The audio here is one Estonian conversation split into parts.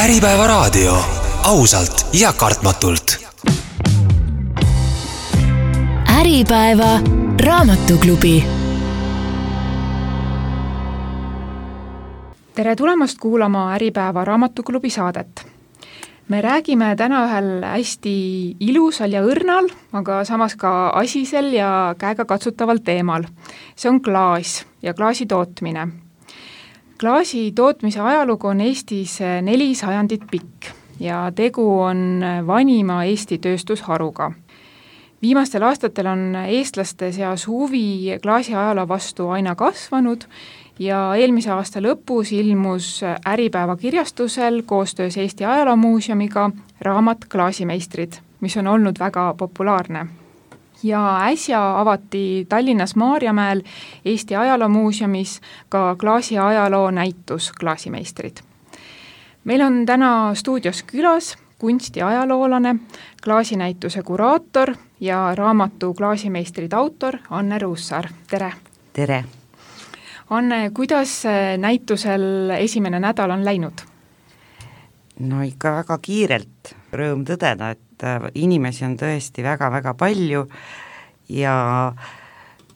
Äripäeva raadio, ausalt ja kartmatult. Äripäeva raamatuklubi. Tere tulemast kuulama Äripäeva raamatuklubi saadet. Me räägime täna ühel hästi ilusal ja õrnal, aga samas ka asisel ja käega katsutaval teemal. See on klaas ja klaasi tootmine. Klaasi tootmise ajalugu on Eestis 4 sajandit pikk ja tegu on vanima Eesti tööstusharuga. Viimastel aastatel on eestlaste seas huvi klaasi ajaloo vastu aina kasvanud ja eelmise aasta lõpus ilmus Äripäeva kirjastusel koostöös Eesti Ajaloomuuseumiga raamat Klaasimeistrid, mis on olnud väga populaarne. Ja äsja avati Tallinnas Maarjamäel Eesti Ajaloomuuseumis ka klaasi ajaloo näitus Klaasimeistrid. Meil on täna stuudios külas kunstiajaloolane, klaasinäituse kuraator ja raamatu Klaasimeistrid autor Anne Ruussaar. Tere! Tere! Anne, kuidas näitusel esimene nädal on läinud? No ikka väga kiirelt, rõõm tõdeda, et inimesi on tõesti väga-väga palju ja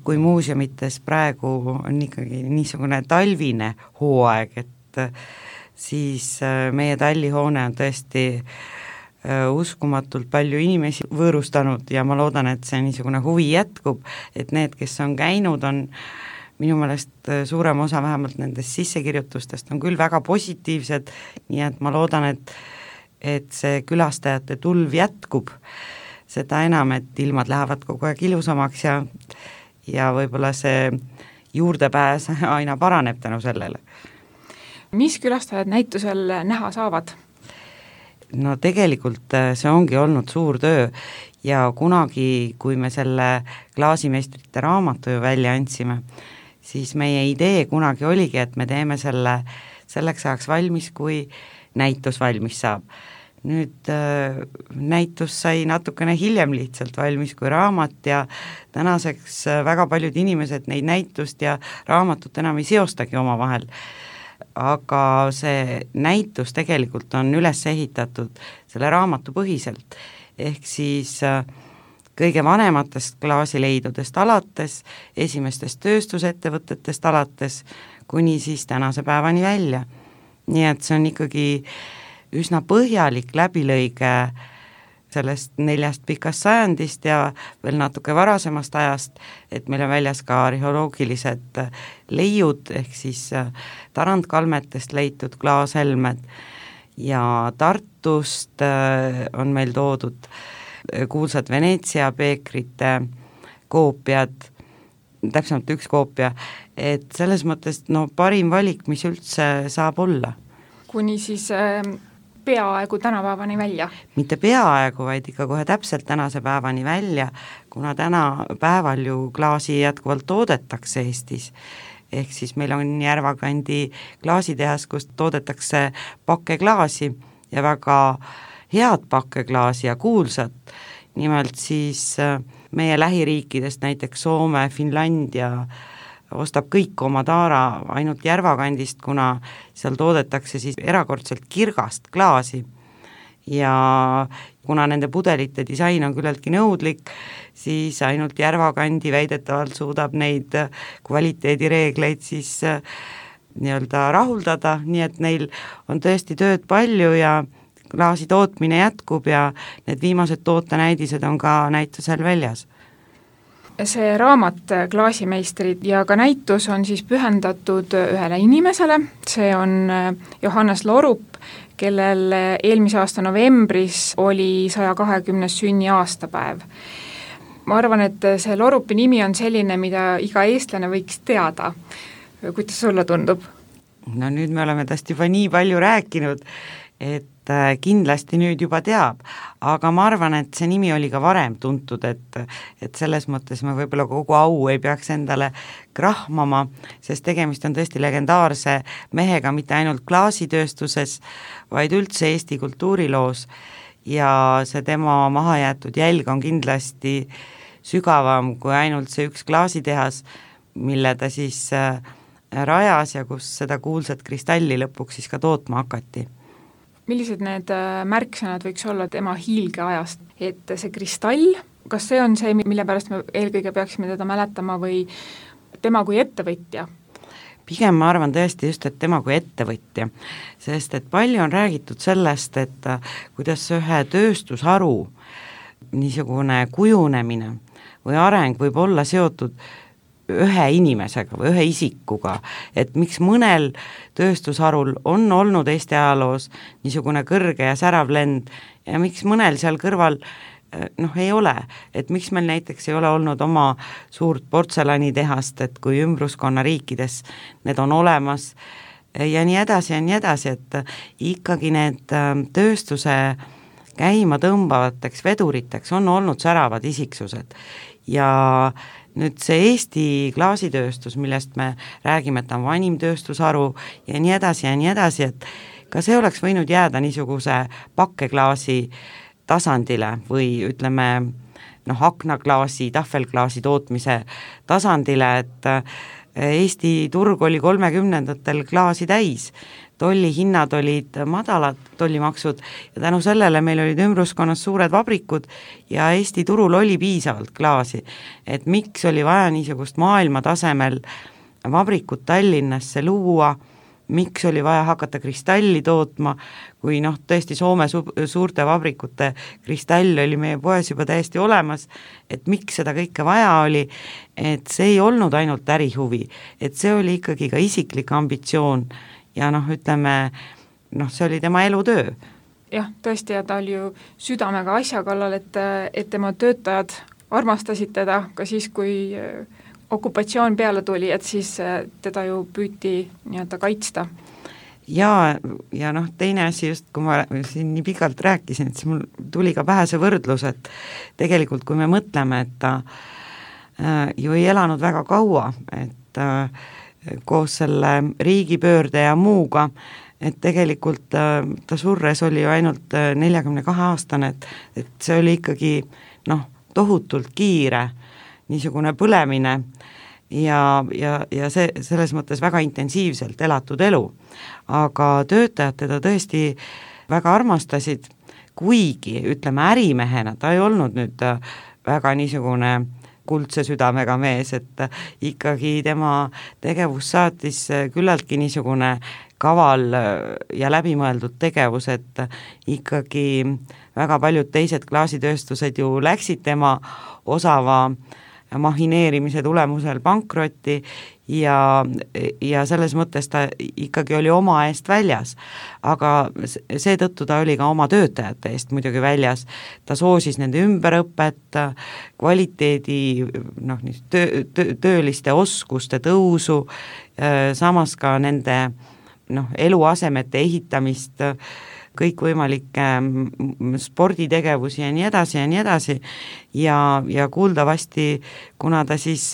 kui muuseumites praegu on ikkagi niisugune talvine hooaeg, et siis meie tallihoone on tõesti uskumatult palju inimesi võõrustanud ja ma loodan, et see niisugune huvi jätkub, et need, kes on käinud, on minu meelest suurem osa vähemalt nendest sissekirjutustest on küll väga positiivsed, nii et ma loodan, et see külastajate tulv jätkub, seda enam, et ilmad lähevad kogu aeg ilusamaks ja võib-olla see juurdepääs aina paraneb tänu sellele. Mis külastajad näitusel näha saavad? No tegelikult see ongi olnud suur töö ja kunagi, kui me selle Klaasimeistrite raamatu ju välja andsime, siis meie idee kunagi oligi, et me teeme selleks ajaks valmis, kui näitus valmis saab. Nüüd näitus sai natukene hiljem lihtsalt valmis kui raamat ja tänaseks väga paljud inimesed neid näitust ja raamatut enam ei seostagi omavahel. Aga see näitus tegelikult on üles ehitatud selle raamatu põhiselt, ehk siis kõige vanematest klaasileidudest alates, esimestest tööstusettevõtetest alates, kuni siis tänase päevani välja. Nii et see on ikkagi üsna põhjalik läbilõige sellest 4 pikast sajandist ja veel natuke varasemast ajast, et meil on väljas ka arheoloogilised leiud, ehk siis tarandkalmetest leitud klaashelmed ja Tartust on meil toodud kuulsad Veneetsia peekrite koopiad, täpsemalt 1 koopia, et selles mõttes parim valik, mis üldse saab olla. Kuni siis peaaegu tänapäevani välja? Mitte peaaegu, vaid ikka kohe täpselt tänase päevani välja, kuna tänapäeval ju klaasi jätkuvalt toodetakse Eestis. Ehk siis meil on Järvakandi klaasitehas, kus toodetakse pakkeklaasi ja väga head pakkeklaasi ja kuulsat. Nimelt siis meie lähiriikidest, näiteks Soome, Finlandia, ostab kõik oma taara ainult Järvakandist, kuna seal toodetakse siis erakordselt kirgast klaasi ja kuna nende pudelite disain on küllaltki nõudlik, siis ainult Järvakandi väidetavalt suudab neid kvaliteedireegleid siis nii-öelda rahuldada, nii et neil on tõesti tööd palju ja klaasi tootmine jätkub ja need viimased tootenäidised on ka näitusel väljas. See raamat Klaasimeistrid ja ka näitus on siis pühendatud ühele inimesele, see on Johannes Lorup, kellel eelmise aasta novembris oli 120. sünniaastapäev. Ma arvan, et see Lorupi nimi on selline, mida iga eestlane võiks teada. Kuidas sulle tundub? No nüüd me oleme täst juba nii palju rääkinud, et kindlasti nüüd juba teab, aga ma arvan, et see nimi oli ka varem tuntud, et selles mõttes me võib-olla kogu au ei peaks endale krahmama, sest tegemist on tõesti legendaarse mehega mitte ainult klaasitööstuses, vaid üldse Eesti kultuuriloos ja see tema mahajäetud jälg on kindlasti sügavam kui ainult see 1 klaasitehas, mille ta siis rajas ja kus seda kuulsat kristalli lõpuks siis ka tootma hakati. millised need märksõnad võiks olla tema hiilgeajast, et see kristall, kas see on see, mille pärast me eelkõige peaksime teda mäletama või tema kui ettevõtja? Pigem ma arvan tõesti just, et tema kui ettevõtja, sest et palju on räägitud sellest, et kuidas ühe tööstusharu niisugune kujunemine või areng võib olla seotud ühe inimesega või ühe isikuga, et miks mõnel tööstusharul on olnud Eesti ajaloos niisugune kõrge ja särav lend ja miks mõnel seal kõrval ei ole, et miks meil näiteks ei ole olnud oma suurt portselanitehast, et kui ümbruskonna riikides need on olemas ja nii edasi, et ikkagi need tööstuse käima tõmbavateks veduriteks on olnud säravad isiksused ja nüüd see Eesti klaasitööstus, millest me räägime, et ta on vanim tööstusharu ja nii edasi, et ka see oleks võinud jääda niisuguse pakkeklaasi tasandile või ütleme aknaklaasi, tahvelklaasi tootmise tasandile, et Eesti turg oli 30ndatel klaasi täis, tollihinnad olid madalad, tollimaksud ja tänu sellele meil olid ümbruskonnas suured vabrikud ja Eesti turul oli piisavalt klaasi, et miks oli vaja niisugust maailma tasemel vabrikut Tallinnasse luua, miks oli vaja hakata kristalli tootma, kui tõesti Soome suurte vabrikute kristall oli meie poes juba täiesti olemas, et miks seda kõike vaja oli, et see ei olnud ainult ärihuvi, et see oli ikkagi ka isiklik ambitsioon ja ütleme, see oli tema elutöö. Jah, tõesti, ja ta oli ju südamega asja kallal, et tema töötajad armastasid teda ka siis, kui okupatsioon peale tuli, et siis teda ju püüti kaitsta. Ja teine asi just, kui ma siin nii pikalt rääkisin, et siis mul tuli ka pähe see võrdlus, et tegelikult kui me mõtleme, et ta ju ei elanud väga kaua, et koos selle riigipöörde ja muuga, et tegelikult ta surres oli ju ainult 42-aastane, et see oli ikkagi tohutult kiire niisugune põlemine ja see selles mõttes väga intensiivselt elatud elu. Aga töötajad teda tõesti väga armastasid, kuigi ütleme ärimehena, ta ei olnud nüüd väga niisugune kuldse südamega mees, et ikkagi tema tegevus saatis küllaltki niisugune kaval ja läbimõeldud tegevus, et ikkagi väga paljud teised klaasitööstused ju läksid tema osava mahineerimise tulemusel pankrotti ja selles mõttes ta ikkagi oli oma eest väljas, aga seetõttu ta oli ka oma töötajate eest muidugi väljas, ta soosis nende ümberõpet, kvaliteedi, tööliste oskuste tõusu, samas ka nende eluasemete ehitamist, kõikvõimalikke sporditegevusi ja nii edasi ja kuuldavasti, kuna ta siis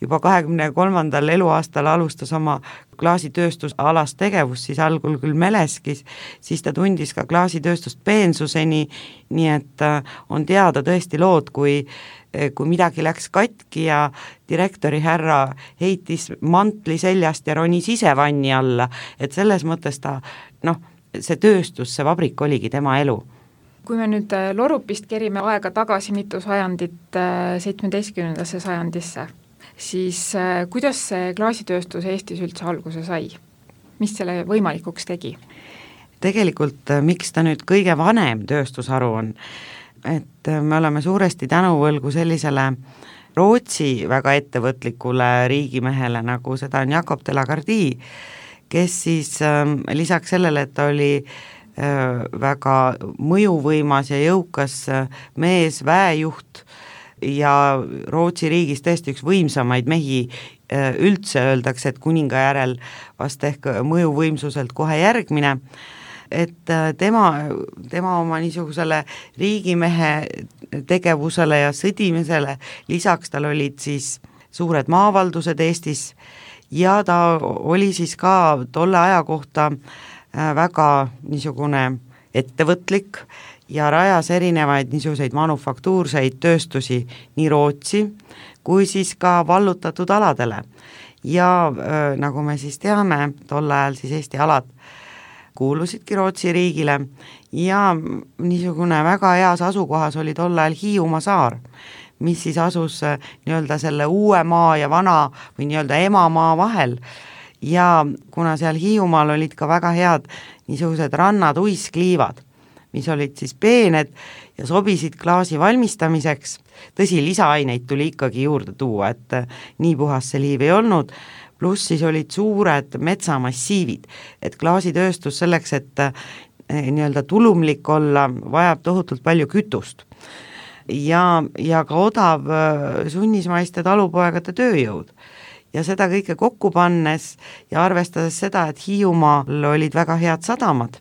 juba 23. eluaastal alustas oma klaasitööstusalast tegevust, siis algul küll Meleskis, siis ta tundis ka klaasitööstust peensuseni, nii et on teada tõesti lood, kui midagi läks katki ja direktori härra heitis mantli seljast ja ronis ise vanni alla, et selles mõttes ta see tööstus, see vabrik oligi tema elu. Kui me nüüd Lorupist kerime aega tagasi mitu sajandit 17. sajandisse, siis kuidas see klaasitööstus Eestis üldse alguse sai? Mis selle võimalikuks tegi? Tegelikult miks ta nüüd kõige vanem tööstusharu on, et me oleme suuresti tänuvõlgu sellisele Rootsi väga ettevõtlikule riigimehele, nagu seda on Jakob de la Gardie, kes siis lisaks sellele, et ta oli väga mõjuvõimas ja jõukas mees, väejuht ja Rootsi riigis tõesti üks võimsamaid mehi, üldse öeldakse, et kuninga järel vast ehk mõjuvõimsuselt kohe järgmine, et tema oma niisugusele riigimehe tegevusele ja sõdimisele, lisaks tal olid siis suured maavaldused Eestis ja ta oli siis ka tolle aja kohta väga niisugune ettevõtlik ja rajas erinevaid niisuguseid manufaktuurseid tööstusi nii Rootsi kui siis ka vallutatud aladele. Ja nagu me siis teame, tol ajal siis Eesti alad kuulusidki Rootsi riigile ja niisugune väga heas asukohas oli tol ajal Hiiumaa saar, mis siis asus nii-öelda selle uue maa ja vana või nii-öelda emamaa vahel ja kuna seal Hiiumaal olid ka väga head niisugused rannatuiskliivad, mis olid siis peened ja sobisid klaasi valmistamiseks, tõsi, lisaaineid tuli ikkagi juurde tuua, et nii puhas see liiv ei olnud, pluss siis olid suured metsamassiivid, et klaasitööstus selleks, et nii-öelda tulumlik olla, vajab tohutult palju kütust ja ka odav sunnismaiste talupoegade tööjõud. Ja seda kõike kokku pannes ja arvestades seda, et Hiiumaal olid väga head sadamad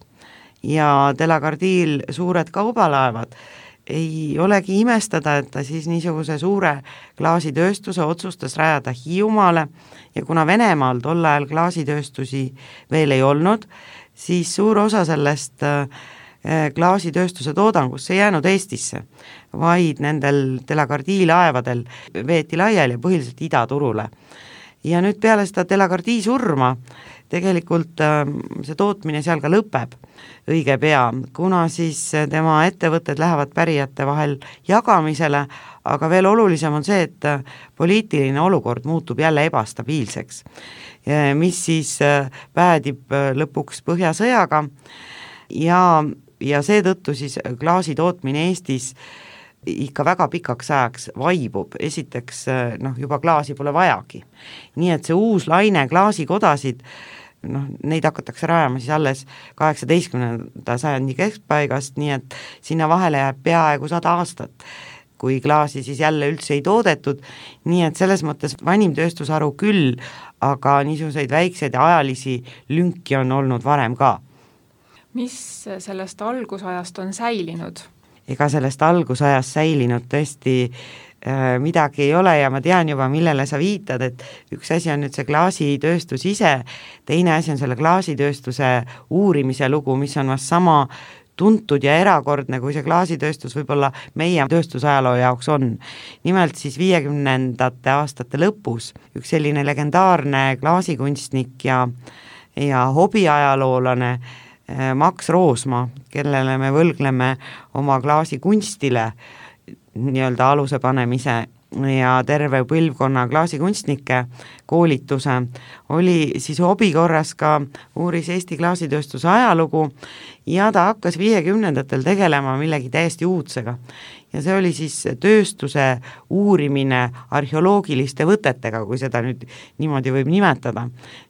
ja Delagardiil suured kaubalaevad, ei olegi imestada, et ta siis niisuguse suure klaasitööstuse otsustas rajada Hiiumaale ja kuna Venemaal tol ajal klaasitööstusi veel ei olnud, siis suur osa sellest klaasitööstuse toodangust ei jäänud Eestisse, vaid nendel Delagardii laevadel veeti laiali ja põhiliselt idaturule. Ja nüüd peale seda Delagardii surma tegelikult see tootmine seal ka lõpeb õige pea, kuna siis tema ettevõtted lähevad pärijate vahel jagamisele, aga veel olulisem on see, et poliitiline olukord muutub jälle ebastabiilseks, mis siis päädib lõpuks Põhjasõjaga ja seetõttu siis klaasi tootmine Eestis ikka väga pikaks ajaks vaibub, esiteks juba klaasi pole vajagi. Nii et see uus laine klaasikodasid, neid hakatakse rajama siis alles 18. sajandi keskpaigast, nii et sinna vahele jääb peaaegu 100 aastat, kui klaasi siis jälle üldse ei toodetud, nii et selles mõttes vanim tööstusharu küll, aga niisuguseid väikseid ajalisi lünki on olnud varem ka. Mis sellest algusajast on säilinud? Ega sellest algusajast säilinud tõesti midagi ei ole ja ma tean juba, millele sa viitad, et üks asi on nüüd see klaasitööstus ise, teine asi on selle klaasitööstuse uurimise lugu, mis on vast sama tuntud ja erakordne, kui see klaasitööstus võib-olla meie tööstusajaloo jaoks on. Nimelt siis 50. aastate lõpus üks selline legendaarne klaasikunstnik ja hobiajaloolane Max Roosma, kellele me võlgleme oma klaasikunstile nii-öelda aluse panemise ja terve põlvkonna klaasikunstnike koolituse, oli siis hobikorras ka uuris Eesti klaasitööstuse ajalugu ja ta hakkas 50-ndatel tegelema millegi täiesti uudsega. Ja see oli siis tööstuse uurimine arheoloogiliste võtetega, kui seda nüüd niimoodi võib nimetada.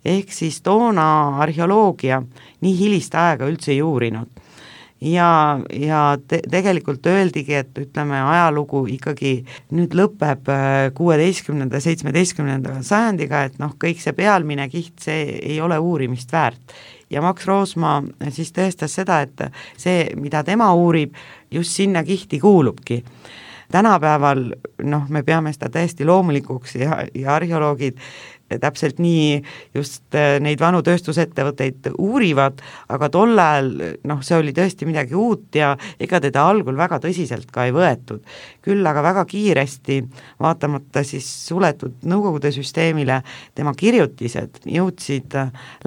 Ehk siis toona arheoloogia nii hilist aega üldse ei uurinud. Ja tegelikult öeldigi, et ütleme, ajalugu ikkagi nüüd lõpeb 16. 17. sajandiga, et kõik see pealmine kiht, see ei ole uurimist väärt. Ja Max Roosma siis tõestas seda, et see, mida tema uurib, just sinna kihti kuulubki. Tänapäeval me peame seda täiesti loomulikuks ja arheoloogid täpselt nii just neid vanu tööstusettevõtteid uurivad, aga tol ajal see oli tõesti midagi uut ja ega teda algul väga tõsiselt ka ei võetud. Küll aga väga kiiresti, vaatamata siis suletud Nõukogude süsteemile, tema kirjutised jõudsid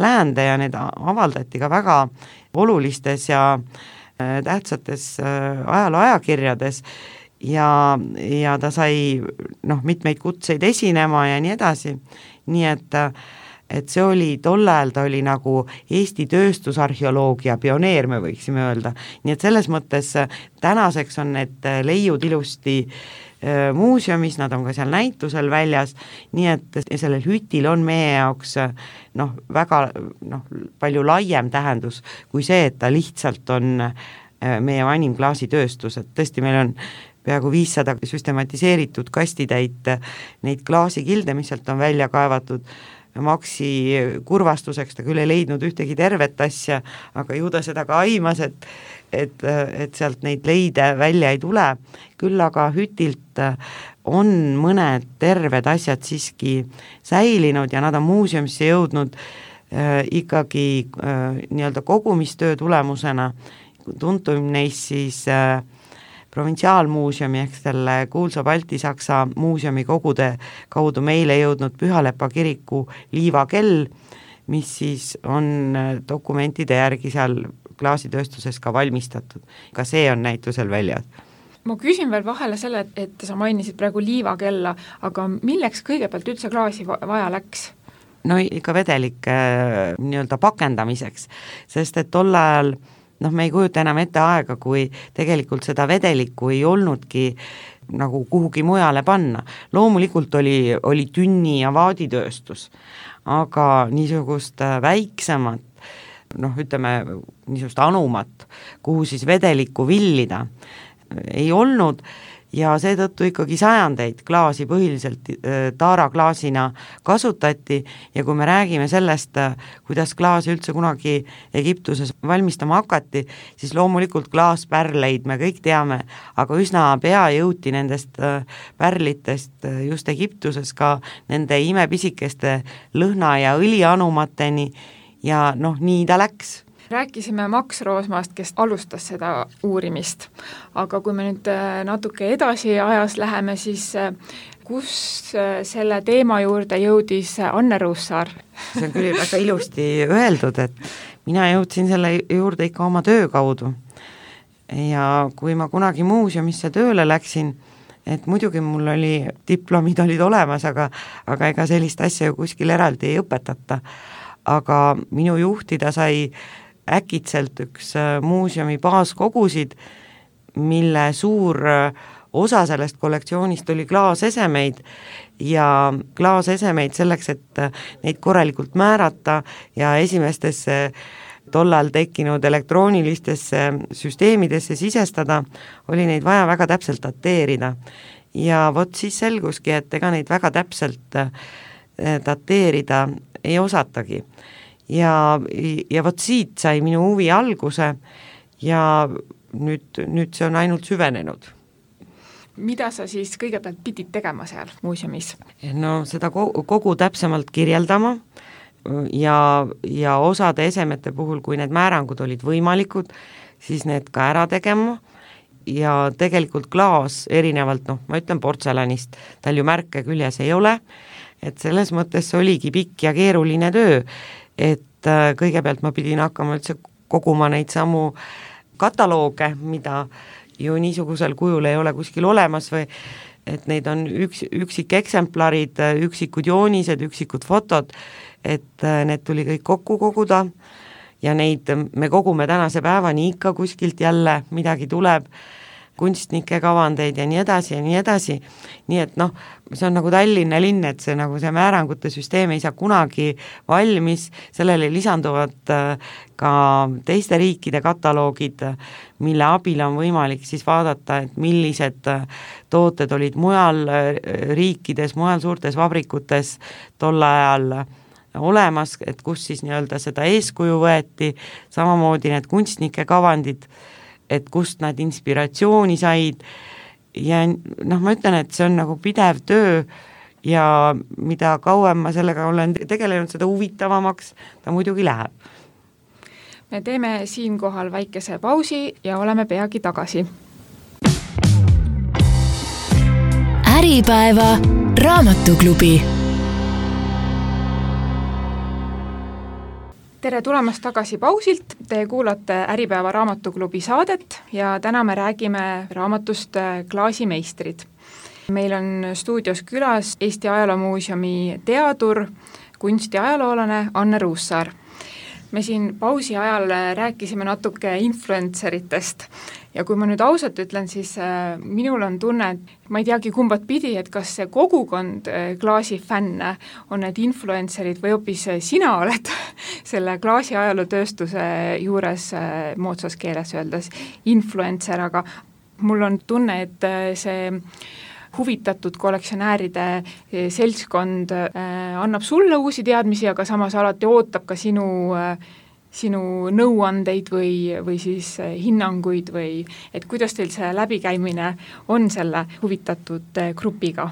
läände ja need avaldati ka väga olulistes ja tähtsates ajalooajakirjades ja ta sai mitmeid kutseid esinema ja nii edasi, nii et see oli tol ajal, ta oli nagu Eesti tööstusarheoloogia pioneer, me võiksime öelda, nii et selles mõttes tänaseks on need leiud ilusti muuseumis, nad on ka seal näitusel väljas, nii et sellel hütil on meie jaoks väga palju laiem tähendus kui see, et ta lihtsalt on meie vanim klaasitööstus, et tõesti meil on peaaegu 500 süstematiseeritud kastitäit neid klaasikilde, mis sealt on välja kaevatud. Maxi kurvastuseks ta küll ei leidnud ühtegi tervet asja, aga ju ta seda ka aimas, et sealt neid leide välja ei tule. Küll aga hütilt on mõned terved asjad siiski säilinud ja nad on muuseumisse jõudnud ikkagi nii-öelda kogumistöö tulemusena. Tuntum neist siis provintsiaalmuuseumi ehk selle kuulsa Balti-Saksa muuseumi kogude kaudu meile jõudnud Pühalepa kiriku liivakell, mis siis on dokumentide järgi seal klaasitööstuses ka valmistatud. Ka see on näitusel väljas. Ma küsin veel vahele selle, et sa mainisid praegu liivakella, aga milleks kõigepealt üldse klaasi vaja läks? No ikka vedelike nii-öelda pakendamiseks, sest et tol ajal me ei kujuta enam ette aega, kui tegelikult seda vedelikku ei olnudki nagu kuhugi mujale panna. Loomulikult oli tünni- ja vaaditööstus, aga niisugust väiksemat, ütleme niisugust anumat, kuhu siis vedelikku villida ei olnud ja seetõttu ikkagi sajandeid klaasi põhiliselt taaraklaasina kasutati ja kui me räägime sellest, kuidas klaasi üldse kunagi Egiptuses valmistama hakati, siis loomulikult klaaspärleid me kõik teame, aga üsna pea jõuti nendest pärlitest just Egiptuses ka nende imepisikeste lõhna- ja õlianumateni ja nii ta läks. Rääkisime Max Roosmaast, kes alustas seda uurimist, aga kui me nüüd natuke edasi ajas läheme, siis kus selle teema juurde jõudis Anne Ruussaar? See on küll väga ilusti öeldud, et mina jõudsin selle juurde ikka oma töö kaudu ja kui ma kunagi muuseumisse tööle läksin, et muidugi mul diplomid olid olemas, aga ega sellist asja ju kuskil eraldi ei õpetata, aga minu juhtida sai äkitselt üks muuseumi baaskogusid, mille suur osa sellest kollektsioonist oli klaasesemeid ja klaasesemeid selleks, et neid korralikult määrata ja esimestesse tollal tekkinud elektroonilistesse süsteemidesse sisestada, oli neid vaja väga täpselt dateerida. Ja vot siis selguski, et ega neid väga täpselt dateerida ei osatagi. Ja vot siit sai minu huvi alguse ja nüüd see on ainult süvenenud. Mida sa siis kõigepealt pidid tegema seal muuseumis? No seda kogu täpsemalt kirjeldama ja osade esemete puhul, kui need määrangud olid võimalikud, siis need ka ära tegema ja tegelikult klaas erinevalt, ma ütlen portselanist, tal ju märke küljes ei ole, et selles mõttes oligi pikk ja keeruline töö, et kõigepealt ma pidin hakkama üldse koguma neid samu katalooge, mida ju niisugusel kujul ei ole kuskil olemas või et neid on üksikeksemplarid, üksikud joonised, üksikud fotod, et need tuli kõik kokku koguda ja neid me kogume tänase päevani ikka kuskilt jälle, midagi tuleb, kunstnike kavandeid ja nii edasi ja nii edasi, nii et see on nagu Tallinna linn, et see määrangute süsteem ei saa kunagi valmis, sellele lisanduvad ka teiste riikide kataloogid, mille abil on võimalik siis vaadata, et millised tooted olid mujal riikides, mujal suurtes vabrikutes tol ajal olemas, et kus siis nii-öelda seda eeskuju võeti, samamoodi need kunstnike kavandid, et kust nad inspiratsiooni said ja ma ütlen, et see on nagu pidev töö ja mida kauem ma sellega olen tegelenud, seda huvitavamaks ta muidugi läheb. Me teeme siinkohal väikese pausi ja oleme peagi tagasi. Äripäeva raamatuklubi. Tere tulemast tagasi pausilt, te kuulate Äripäeva raamatuklubi saadet ja täna me räägime raamatust Klaasimeistrid. Meil on stuudios külas Eesti Ajaloomuuseumi teadur, kunstiajaloolane Anne Ruussaar. Me siin pausi ajal rääkisime natuke influenceritest ja kui ma nüüd ausalt ütlen, siis minul on tunne, et ma ei teagi kumbat pidi, et kas see kogukond klaasifänne on need influencerid või hoopis sina oled selle klaasi ajalootööstuse juures moodsas keeles öeldes influencer, aga mul on tunne, et see huvitatud kollektsionääride seltskond annab sulle uusi teadmisi, aga samas alati ootab ka sinu nõuandeid või siis hinnanguid või et kuidas teil see läbikäimine on selle huvitatud grupiga?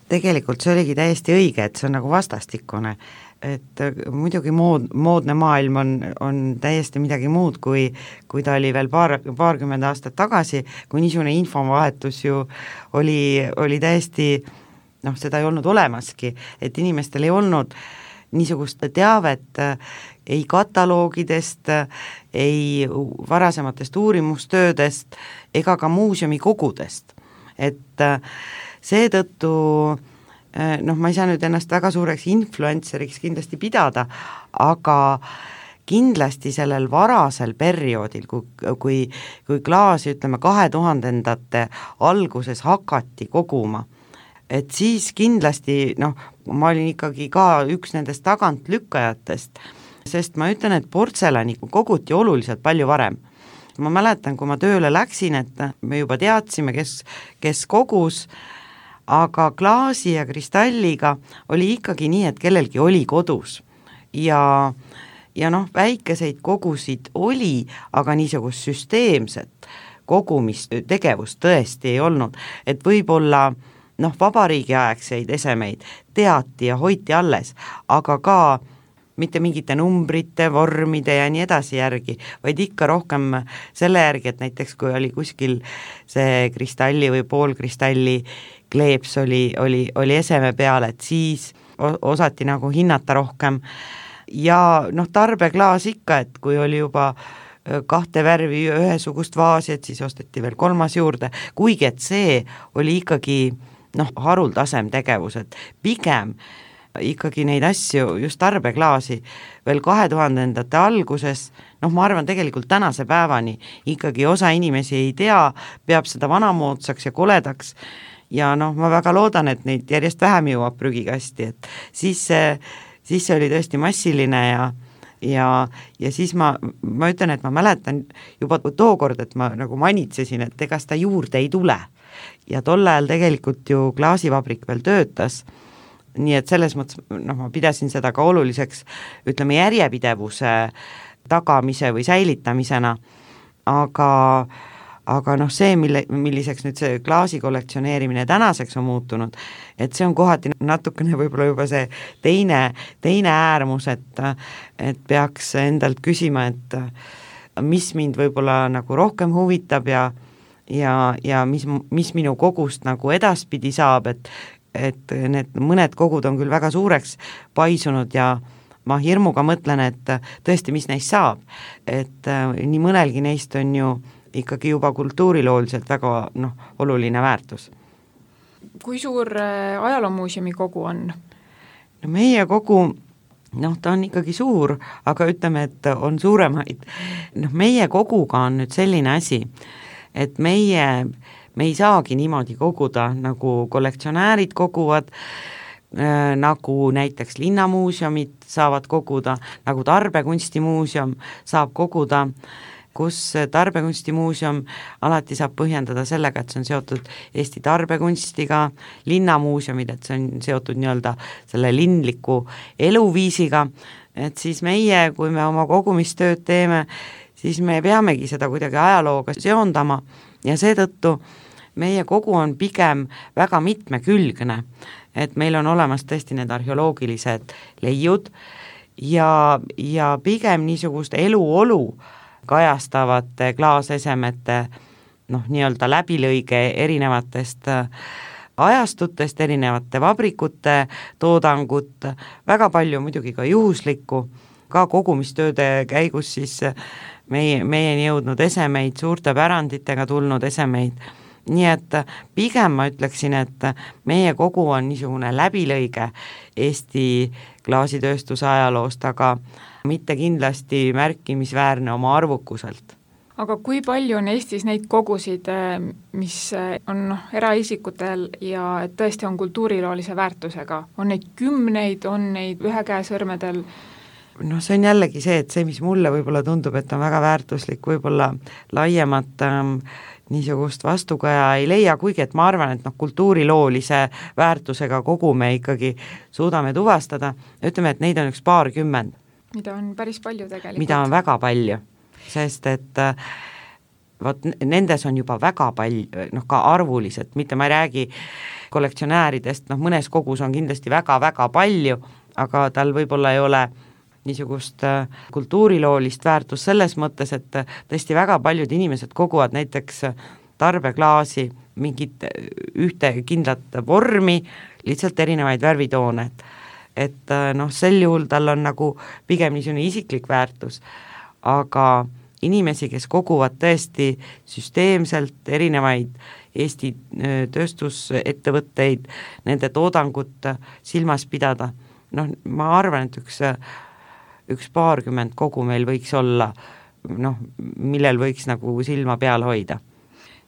Tegelikult see oligi täiesti õige, et see on nagu vastastikune, et muidugi moodne maailm on täiesti midagi muud, kui ta oli veel paarkümmend aastat tagasi, kui niisugune infovahetus ju oli täiesti, seda ei olnud olemaski, et inimestel ei olnud niisugust teavet ei kataloogidest, ei varasematest uurimustöödest ega ka muuseumikogudest. Et seetõttu ma ei saa nüüd ennast väga suureks influenceriks kindlasti pidada, aga kindlasti sellel varasel perioodil, kui klaasi, ütleme, 2000-ndate alguses hakati koguma, et siis kindlasti, ma olin ikkagi ka üks nendest tagantlükkajatest, sest ma ütlen, et portselani koguti oluliselt palju varem. Ma mäletan, kui ma tööle läksin, et me juba teadsime, kes kogus, aga klaasi ja kristalliga oli ikkagi nii, et kellelgi oli kodus ja väikeseid kogusid oli, aga niisugust süsteemset kogumistegevust tõesti ei olnud, et võib-olla vabariigiaegseid esemeid teati ja hoiti alles, aga ka mitte mingite numbrite, vormide ja nii edasi järgi, vaid ikka rohkem selle järgi, et näiteks kui oli kuskil see kristalli või poolkristalli kleeps oli eseme peal, et siis osati nagu hinnata rohkem ja tarbeklaas ikka, et kui oli juba 2 värvi ühesugust vaasi, et siis osteti veel 3. juurde, kuigi et see oli ikkagi haruldasem tegevus, et pigem ikkagi neid asju, just tarbeklaasi veel 2000-ndate alguses, ma arvan tegelikult tänase päevani ikkagi osa inimesi ei tea, peab seda vanamoodsaks ja koledaks ja ma väga loodan, et neid järjest vähem jõuab prügikasti, et siis see oli tõesti massiline ja siis ma ütlen, et ma mäletan juba tookord, et ma nagu manitsesin, et ega seda juurde ei tule ja tol ajal tegelikult ju klaasivabrik veel töötas, nii et selles mõttes ma pidasin seda ka oluliseks, ütleme, järjepidevuse tagamise või säilitamisena, aga see, milliseks nüüd see klaasi kollektsioneerimine tänaseks on muutunud, et see on kohati natukene võib-olla juba see teine äärmus, et peaks endalt küsima, et mis mind võib-olla nagu rohkem huvitab ja mis minu kogust nagu edaspidi saab, et need mõned kogud on küll väga suureks paisunud ja ma hirmuga mõtlen, et tõesti, mis neist saab, et nii mõnelgi neist on ju ikkagi juba kultuurilooliselt väga oluline väärtus. Kui suur ajaloomuuseumi kogu on? Meie kogu, ta on ikkagi suur, aga ütleme, et on suuremaid. Meie koguga on nüüd selline asi, et me ei saagi niimoodi koguda, nagu kollektsionäärid koguvad, nagu näiteks linnamuuseumid saavad koguda, nagu Tarbekunstimuuseum saab koguda, kus Tarbekunstimuuseum alati saab põhjendada sellega, et see on seotud Eesti tarbekunstiga, linnamuuseumid, et see on seotud nii-öelda selle linliku eluviisiga, et siis meie, kui me oma kogumistööd teeme, siis me peamegi seda kuidagi ajalooga seondama ja seetõttu meie kogu on pigem väga mitmekülgne, et meil on olemas tõesti need arheoloogilised leiud ja pigem niisugust eluolu kajastavate klaasesemete nii-öelda läbilõige erinevatest ajastutest, erinevate vabrikute toodangut, väga palju muidugi ka juhuslikku, ka kogumistööde käigus siis meieni jõudnud esemeid, suurte päranditega tulnud esemeid, nii et pigem ma ütleksin, et meie kogu on niisugune läbilõige Eesti klaasitööstuse ajaloost, aga mitte kindlasti märkimisväärne oma arvukuselt. Aga kui palju on Eestis neid kogusid, mis on eraisikutel ja et tõesti on kultuuriloolise väärtusega? On neid kümneid, on neid ühe käe sõrmedel? See on jällegi see, et see, mis mulle võib-olla tundub, et on väga väärtuslik, võib-olla laiemat niisugust vastukaja ei leia, kuigi et ma arvan, et kultuuriloolise väärtusega kogu me ikkagi suudame tuvastada, ütleme, et neid on üks paarkümmend. Mida on päris palju tegelikult. Mida on väga palju, sest et nendes on juba väga palju, ka arvuliselt, mitte ma ei räägi kollektsionääridest, mõnes kogus on kindlasti väga-väga palju, aga tal võib-olla ei ole niisugust kultuuriloolist väärtust selles mõttes, et tõesti väga paljud inimesed koguvad näiteks tarbeklaasi mingit ühte kindlat vormi, lihtsalt erinevaid värvitoone. et sel juhul tal on nagu pigem niisugune isiklik väärtus, aga inimesi, kes koguvad tõesti süsteemselt erinevaid Eesti tööstusettevõtteid, nende toodangut silmas pidada, ma arvan, et üks paarkümmend kogu meil võiks olla, millel võiks nagu silma peal hoida.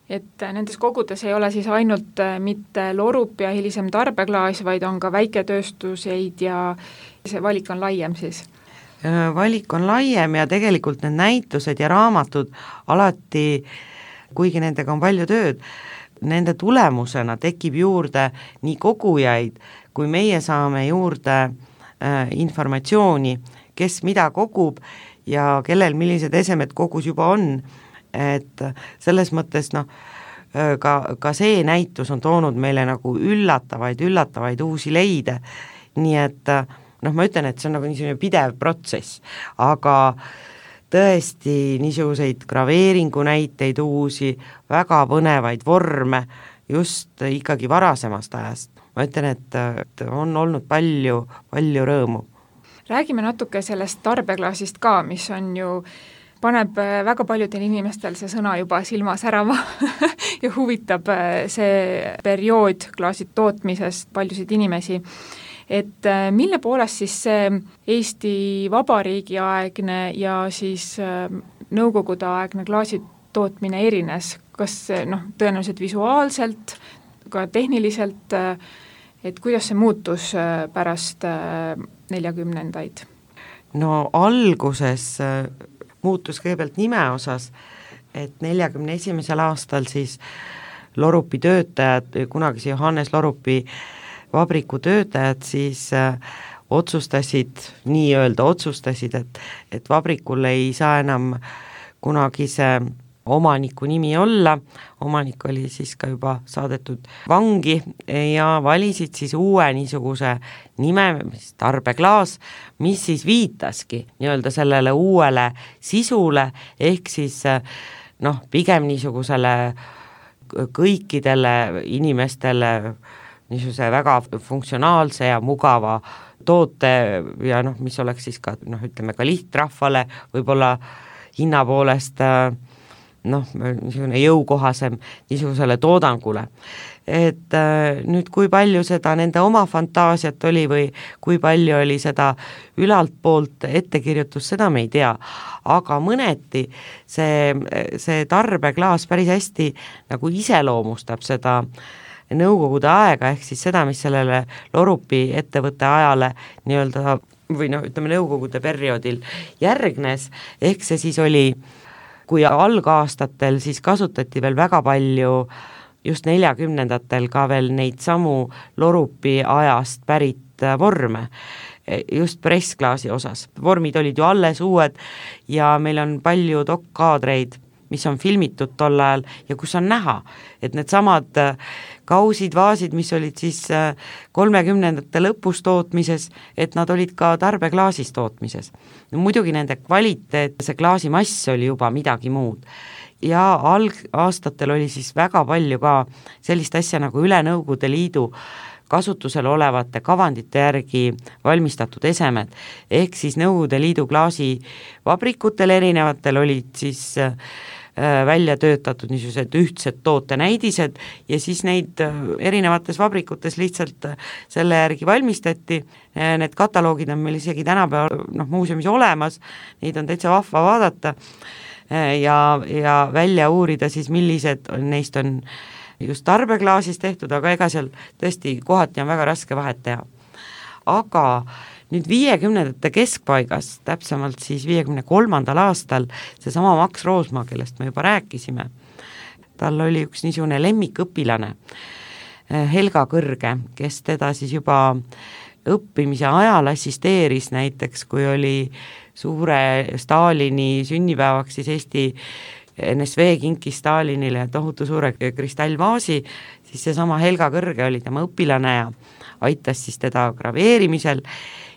Et nendes kogudes ei ole siis ainult mitte lorup ja hilisem tarbeklaas, vaid on ka väiketööstuseid ja see valik on laiem siis? Valik on laiem ja tegelikult need näitused ja raamatud alati, kuigi nendega on palju tööd, nende tulemusena tekib juurde nii kogujaid, kui meie saame juurde informatsiooni, kes mida kogub ja kellel millised esemed kogus juba on, et selles mõttes ka see näitus on toonud meile nagu üllatavaid uusi leide, nii et ma ütlen, et see on nagu niisugune pidev protsess, aga tõesti niisuguseid graveeringu näiteid uusi, väga põnevaid vorme just ikkagi varasemast ajast. Ma ütlen, et on olnud palju rõõmu. Räägime natuke sellest tarbeklaasist ka, mis on ju, paneb väga paljudel inimestel see sõna juba silma särama ja huvitab see periood klaasi tootmisest paljusid inimesi. Et mille poolest siis see Eesti Vabariigi aegne ja siis Nõukogude aegne klaasi tootmine erines, kas tõenäoliselt visuaalselt, ka tehniliselt, et kuidas see muutus pärast 40-ndaid? Alguses muutus kõigepealt nime osas, et 41. aastal siis Lorupi töötajad, kunagise Johannes Lorupi vabriku töötajad siis otsustasid, et vabrikul ei saa enam kunagise omaniku nimi olla, omanik oli siis ka juba saadetud vangi ja valisid siis uue niisuguse nime, tarbeklaas, mis siis viitaski sellele uuele sisule, ehk siis pigem niisugusele kõikidele inimestele niisuguse väga funktsionaalse ja mugava toote ja mis oleks siis ka, ütleme ka lihtrahvale võib-olla hinna poolest niisugune jõukohasem niisugusele toodangule. Et nüüd kui palju seda nende oma fantaasiat oli või kui palju oli seda ülalt poolt ettekirjutus, seda me ei tea, aga mõneti see tarbeklaas päris hästi nagu iseloomustab seda Nõukogude aega, ehk siis seda, mis sellele Lorupi ettevõtte ajale nii-öelda või ütleme Nõukogude perioodil järgnes, ehk see siis oli, kui algaastatel siis kasutati veel väga palju just 40-ndatel ka veel neid samu Lorupi ajast pärit vorme, just pressklaasi osas. Vormid olid ju alles uued ja meil on palju dokkaadreid, mis on filmitud tol ajal ja kus on näha, et need samad kausid, vaasid, mis olid siis 30-ndate lõpus tootmises, et nad olid ka tarbeklaasis tootmises. Muidugi nende kvaliteet, see klaasimass oli juba midagi muud. Ja algaastatel oli siis väga palju ka sellist asja nagu üle Nõukogude Liidu kasutusel olevate kavandite järgi valmistatud esemed, ehk siis Nõukogude Liidu klaasivabrikutel erinevatel olid siis välja töötatud niisugused ühtsed tootenäidised ja siis neid erinevates vabrikutes lihtsalt selle järgi valmistati. Need kataloogid on meil isegi tänapäeval muuseumis olemas, neid on täitsa vahva vaadata ja välja uurida siis, millised neist on just tarbeklaasis tehtud, aga ega seal tõesti kohati on väga raske vahet teha. Aga nüüd 50-ndate keskpaigas, täpsemalt siis 53. aastal, seesama Max Roosmaa, kellest me juba rääkisime, tal oli üks niisugune lemmikõpilane, Helga Kõrge, kes teda siis juba õppimise ajal assisteeris, näiteks kui oli suure Stalini sünnipäevaks, siis Eesti NSV kinkis Stalinile tohutu suure kristallvaasi, siis seesama Helga Kõrge oli tema õpilane ja aitas siis teda graveerimisel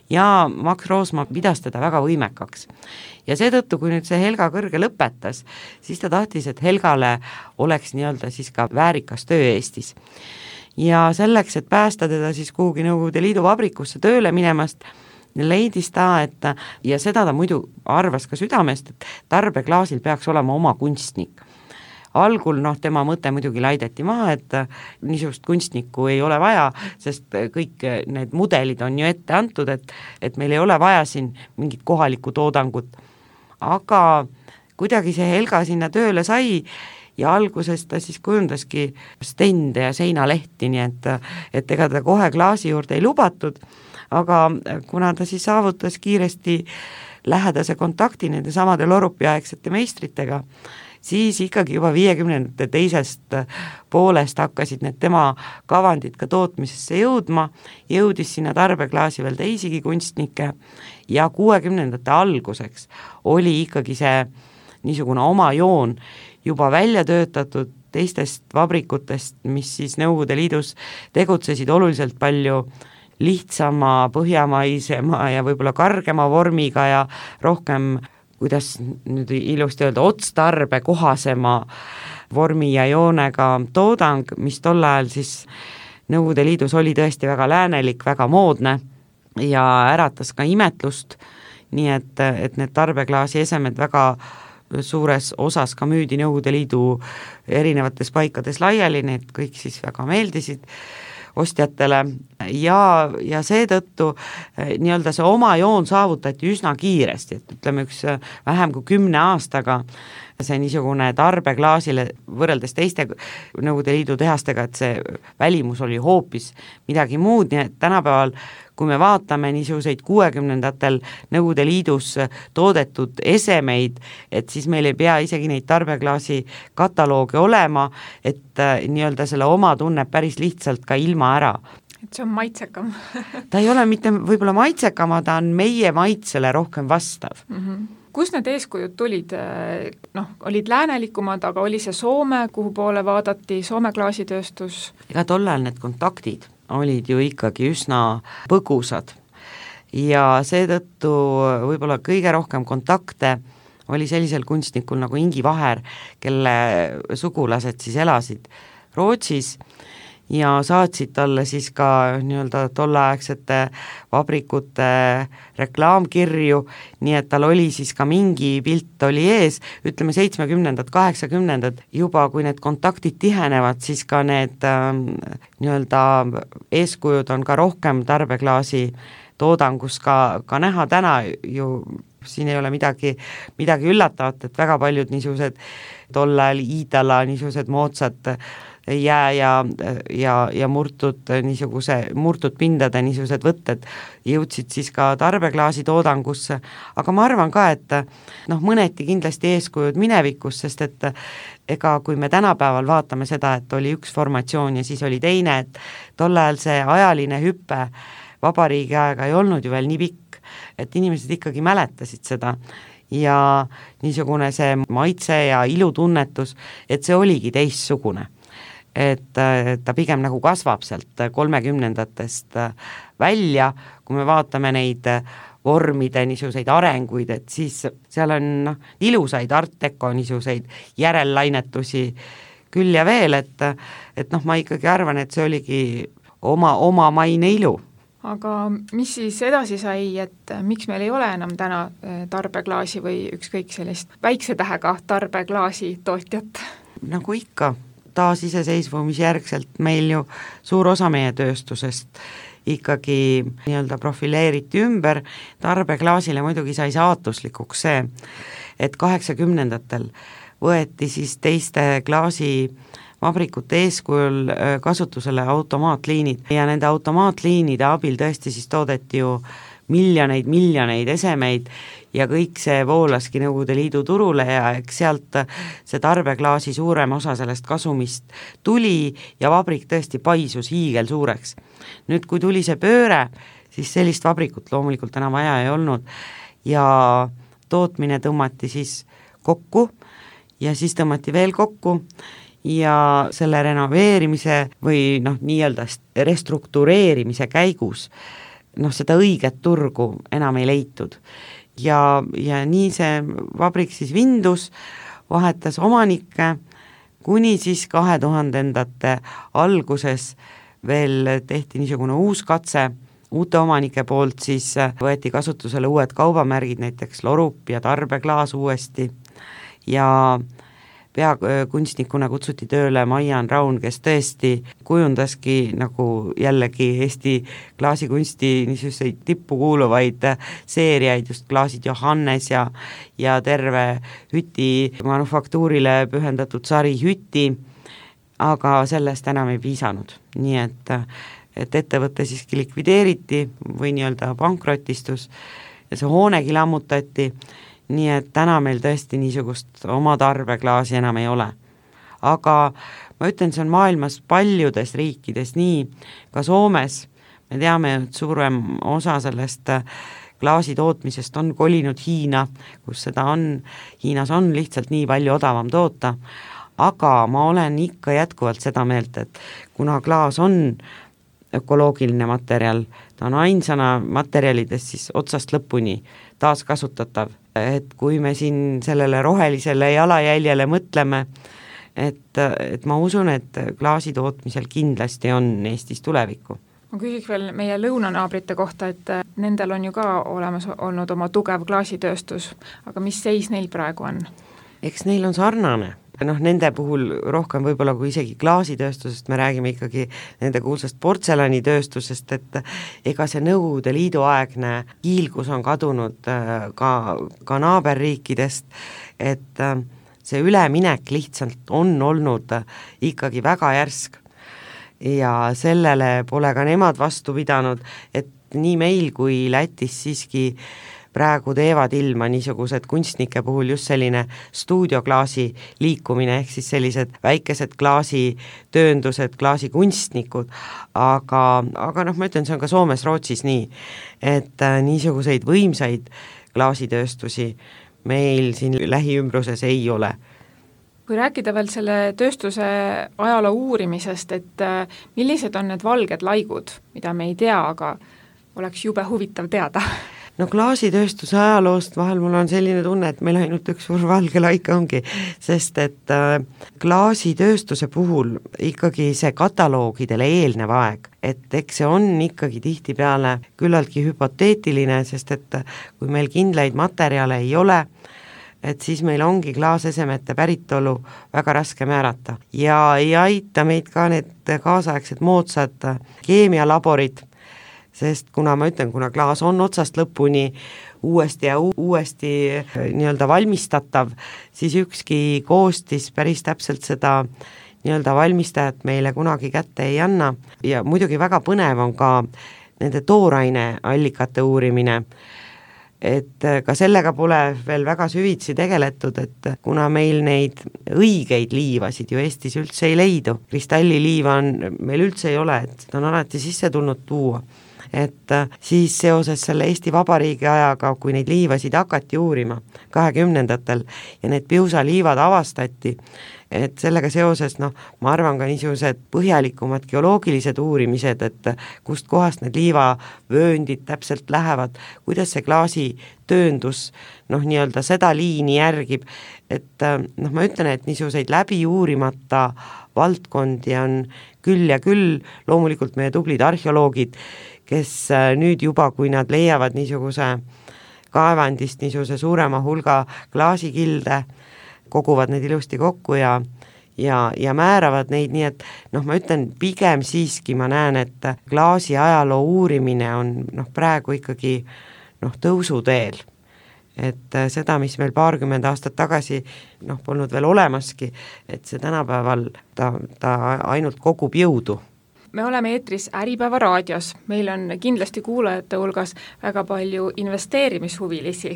ja Max Roosmaa pidas teda väga võimekaks. Ja seetõttu, kui nüüd see Helga Kõrge lõpetas, siis ta tahtis, et Helgale oleks nii-öelda siis ka väärikas töö Eestis. ja selleks, et päästa teda siis kuhugi Nõukogude Liidu vabrikusse tööle minemast, leidis ta, et ja seda ta muidu arvas ka südamest, et tarbeklaasil peaks olema oma kunstnik. Algul tema mõte muidugi laideti maha, et niisugust kunstnikku ei ole vaja, sest kõik need mudelid on ju ette antud, et meil ei ole vaja siin mingit kohalikku toodangut. Aga kuidagi see Helga sinna tööle sai ja alguses ta siis kujundaski stende ja seinalehti, nii et ega ta kohe klaasi juurde ei lubatud, aga kuna ta siis saavutas kiiresti lähedase kontakti nende samade Lorupi-aegsete meistritega, siis ikkagi juba 50ndate teisest poolest hakkasid need tema kavandid ka tootmisesse jõudis sinna tarbeklaasi veel teisigi kunstnikke ja 60ndate alguseks oli ikkagi see niisugune oma joon juba välja töötatud teistest vabrikutest, mis siis Nõukogude Liidus tegutsesid oluliselt palju lihtsama, põhjamaisema ja võib-olla kargema vormiga ja rohkem, kuidas nüüd ilusti öelda, otstarbe kohasema vormi ja joonega toodang, mis tol ajal siis Nõukogude Liidus oli tõesti väga läänelik, väga moodne ja äratas ka imetlust, nii et need tarbeklaasi esemed väga suures osas ka müüdi Nõukogude Liidu erinevates paikades laiali, need kõik siis väga meeldisid ostjatele ja seetõttu nii-öelda see oma joon saavutati üsna kiiresti, et ütleme vähem kui 10 aastaga see niisugune tarbeklaasile võrreldes teiste Nõukogude Liidu tehastega, et see välimus oli hoopis midagi muud, nii et tänapäeval kui me vaatame niisuguseid 60ndatel Nõukogude Liidus toodetud esemeid, et siis meil ei pea isegi neid tarbeklaasi kataloogi olema, et nii-öelda selle oma tunneb päris lihtsalt ka ilma ära. Et see on maitsekam. Ta ei ole mitte võib-olla maitsekam, ta on meie maitsele rohkem vastav. Kus need eeskujud tulid? Olid läänelikumad, aga oli see Soome, kuhu poole vaadati, Soome klaasitööstus? Ega tollal need kontaktid olid ju ikkagi üsna põgusad ja seetõttu võib-olla kõige rohkem kontakte oli sellisel kunstnikul nagu Ingi Vaher, kelle sugulased siis elasid Rootsis ja saatsid talle siis ka nii-öelda tolleaegsete vabrikute reklaamkirju, nii et tal oli siis ka mingi pilt oli ees, ütleme 70-ndad, 80-ndad juba, kui need kontaktid tihenevad, siis ka need nii-öelda eeskujud on ka rohkem tarbeklaasi toodangus ka näha täna ju, siin ei ole midagi üllatavat, et väga paljud niisugused tollal Iidala niisugused moodsad jää ja murtud pindade niisugused võtted jõudsid siis ka tarbeklaasi toodangusse, aga ma arvan ka, et mõneti kindlasti eeskujud minevikus, sest et ega kui me tänapäeval vaatame seda, et oli üks formatsioon ja siis oli teine, et tol ajal see ajaline hüpe vabariigi aega ei olnud ju veel nii pikk, et inimesed ikkagi mäletasid seda ja niisugune see maitse ja ilutunnetus, et see oligi teistsugune. Et ta pigem nagu kasvab sealt 30-ndatest välja, kui me vaatame neid vormide niisuguseid arenguid, et siis seal on ilusaid art deco niisuguseid järellainetusi küll ja veel, et ma ikkagi arvan, et see oligi oma maine ilu. Aga mis siis edasi sai, et miks meil ei ole enam täna tarbeklaasi või ükskõik sellist väikse tähega tarbeklaasi tootjat? Nagu ikka, taasiseseisvumisjärgselt meil ju suur osa meie tööstusest ikkagi nii-öelda profileeriti ümber, tarbeklaasile muidugi sai saatuslikuks see, et 80-ndatel võeti siis teiste klaasivabrikute eeskujul kasutusele automaatliinid ja nende automaatliinide abil tõesti siis toodeti ju miljoneid esemeid ja kõik see voolaski Nõukogude Liidu turule ja eks sealt see tarbeklaasi suurem osa sellest kasumist tuli ja vabrik tõesti paisus hiigel suureks. Nüüd, kui tuli see pööre, siis sellist vabrikut loomulikult enam vaja ei olnud ja tootmine tõmmati siis kokku ja siis tõmmati veel kokku ja selle renoveerimise või nii-öelda restruktureerimise käigus seda õiget turgu enam ei leitud. Ja nii see vabrik siis vindus, vahetas omanikke, kuni siis 2000-ndate alguses veel tehti niisugune uus katse, uute omanike poolt siis võeti kasutusele uued kaubamärgid, näiteks Lorup ja Tarbeklaas uuesti ja peakunstnikuna kutsuti tööle Maian Raun, kes tõesti kujundaski nagu jällegi Eesti klaasikunsti niisuguseid tippu kuuluvaid seeriaid, just klaasid Johannes ja terve Hüti manufaktuurile pühendatud sari Hüti, aga sellest enam ei piisanud, nii et ettevõte siiski likvideeriti või nii-öelda pankrotistus ja see hoonegi lammutati, nii et täna meil tõesti niisugust oma tarbeklaasi enam ei ole. Aga ma ütlen, see on maailmas paljudes riikides nii, ka Soomes me teame, et suurem osa sellest klaasi tootmisest on kolinud Hiina, kus seda on, Hiinas on lihtsalt nii palju odavam toota, aga ma olen ikka jätkuvalt seda meelt, et kuna klaas on ökoloogiline materjal, ta on ainsana materjalidest siis otsast lõpuni taaskasutatav, et kui me siin sellele rohelisele jalajäljele mõtleme, et ma usun, et klaasi tootmisel kindlasti on Eestis tulevikku. Ma küsiks veel meie lõunanaabrite kohta, et nendel on ju ka olemas olnud oma tugev klaasitööstus, aga mis seis neil praegu on? Eks neil on sarnane. Nende puhul rohkem võib-olla kui isegi klaasitööstusest, me räägime ikkagi nende kuulsast portselanitööstusest, et ega see Nõukogude Liidu aegne hiilgus on kadunud ka naaberriikidest, et see üleminek lihtsalt on olnud ikkagi väga järsk ja sellele pole ka nemad vastu pidanud, et nii meil kui Lätis siiski praegu teevad ilma niisugused kunstnike puhul just selline stuudioklaasi liikumine, ehk siis sellised väikesed klaasitööndused, klaasikunstnikud, aga ma ütlen, see on ka Soomes, Rootsis nii, et niisuguseid võimsaid klaasitööstusi meil siin lähiümbruses ei ole. Kui rääkida veel selle tööstuse ajaloo uurimisest, et millised on need valged laigud, mida me ei tea, aga oleks jube huvitav teada? No klaasitööstuse ajaloost vahel mul on selline tunne, et meil ainult üks suur valge laik ongi, sest et klaasitööstuse puhul ikkagi see kataloogidele eelnev aeg, et eks see on ikkagi tihtipeale küllaltki hüpoteetiline, sest et kui meil kindlaid materjale ei ole, et siis meil ongi klaasesemete päritolu väga raske määrata ja ei aita meid ka need kaasaegsed moodsad keemialaborid, sest kuna ma ütlen, kuna klaas on otsast lõpuni uuesti ja uuesti nii-öelda valmistatav, siis ükski koostis päris täpselt seda nii-öelda valmistajat meile kunagi kätte ei anna ja muidugi väga põnev on ka nende tooraineallikate uurimine, et ka sellega pole veel väga süvitsi tegeletud, et kuna meil neid õigeid liivasid ju Eestis üldse ei leidu, kristalliliiva on meil üldse ei ole, et seda on alati sisse tulnud tuua, et siis seoses selle Eesti Vabariigi ajaga, kui neid liivasid hakati uurima 20-ndatel ja need piusaliivad avastati, et sellega seoses, ma arvan ka niisugused põhjalikumad geoloogilised uurimised, et kust kohast need liivavööndid täpselt lähevad, kuidas see klaasitööndus nii-öelda seda liini järgib, et ma ütlen, et niisuguseid läbi uurimata valdkondi on küll ja küll, loomulikult meie tublid arheoloogid, kes nüüd juba, kui nad leiavad niisuguse kaevandist niisuguse suurema hulga klaasikilde, koguvad need ilusti kokku ja määravad neid, nii et ma ütlen, pigem siiski ma näen, et klaasi ajaloo uurimine on praegu ikkagi tõusuteel. Et seda, mis meil 20 aastat tagasi polnud veel olemaski, et see tänapäeval ta ainult kogub jõudu. Me oleme eetris Äripäeva raadios, meil on kindlasti kuulajate hulgas väga palju investeerimishuvilisi.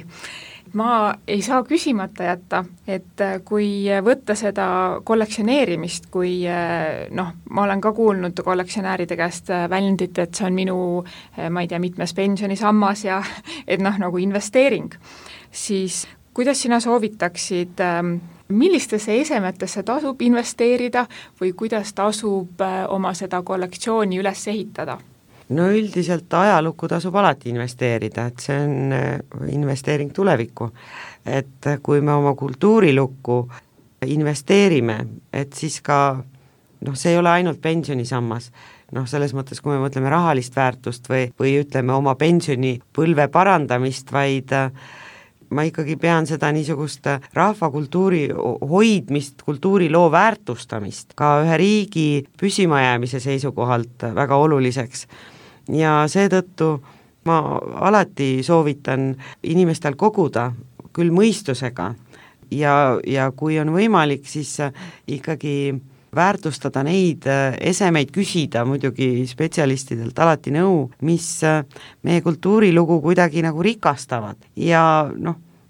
Ma ei saa küsimata jätta, et kui võtta seda kollektsioneerimist, kui ma olen ka kuulnud kollektsionääride käest väljendit, et see on minu, ma ei tea, mitmes pensionisammas ja et nagu investeering, siis kuidas sina soovitaksid, millistesse esemetesse tasub investeerida või kuidas tasub oma seda kollektsiooni üles ehitada? No üldiselt ajalukku tasub alati investeerida, et see on investeering tulevikku. Et kui me oma kultuurilukku investeerime, et siis ka, see ei ole ainult pensionisammas, selles mõttes, kui me mõtleme rahalist väärtust või ütleme oma pensionipõlve parandamist, vaid ma ikkagi pean seda niisugust rahvakultuuri hoidmist, kultuuriloo väärtustamist ka ühe riigi püsimajäämise seisukohalt väga oluliseks. Ja seetõttu ma alati soovitan inimestel koguda küll mõistusega ja kui on võimalik, siis ikkagi väärtustada neid esemeid, küsida muidugi spetsialistidelt alati nõu, mis meie kultuurilugu kuidagi nagu rikastavad ja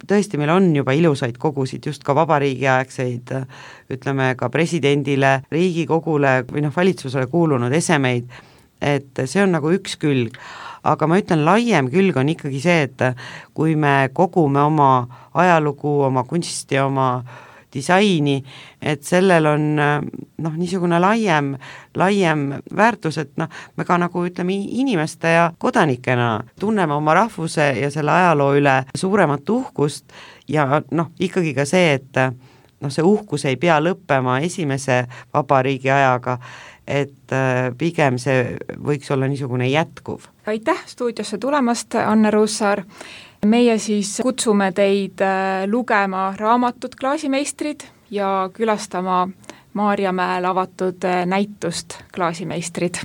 tõesti meil on juba ilusaid kogusid, just ka vabariigiaegseid, ütleme ka presidendile, Riigikogule või valitsusele kuulunud esemeid, et see on nagu üks külg. Aga ma ütlen, laiem külg on ikkagi see, et kui me kogume oma ajalugu, oma kunsti, oma disaini, et sellel on niisugune laiem väärtus, et me ka nagu ütleme inimeste ja kodanikena tunneme oma rahvuse ja selle ajaloo üle suuremat uhkust ja ikkagi ka see, et see uhkus ei pea lõppema esimese vabariigi ajaga, et pigem see võiks olla niisugune jätkuv. Aitäh stuudiosse tulemast, Anne Ruussaar. Meie siis kutsume teid lugema raamatut Klaasimeistrid ja külastama Maarjamäel avatud näitust Klaasimeistrid.